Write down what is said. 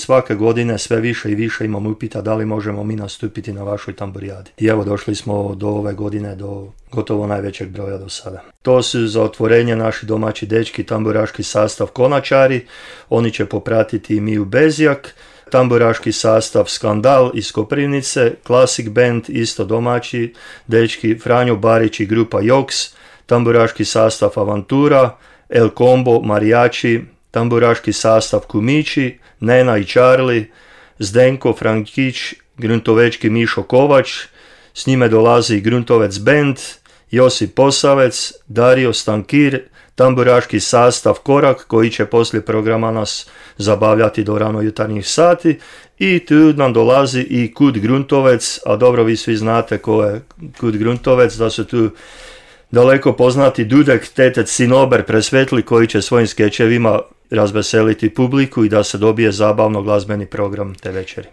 svake godine sve više i više imamo upita da li možemo mi nastupiti na vašoj tamburijadi. I evo došli smo do ove godine do gotovo najvećeg broja do sada. To su za otvorenje naši domaći dečki, tamburaški sastav Konačari, oni će popratiti i Miju Bezjak, tamburaški sastav Skandal iz Koprivnice, Classic Band, isto domaći dečki, Franjo Barić i grupa Joks, tamburaški sastav Avantura, El Combo, Marijači, tamburaški sastav Kumići, Nena i Charlie, Zdenko, Frankić, gruntovečki Mišo Kovač, s njime dolazi Gruntovec Band, Josip Posavec, Dario Stankir, tamburaški sastav Korak koji će poslije programa nas zabavljati do rano jutarnjih sati i tu nam dolazi i Kud Gruntovec, a dobro vi svi znate ko je Kud Gruntovec, da su tu daleko poznati Dudek, Tetec, Sinober, Presvetli koji će svojim skečevima razveseliti publiku i da se dobije zabavno glazbeni program te večeri.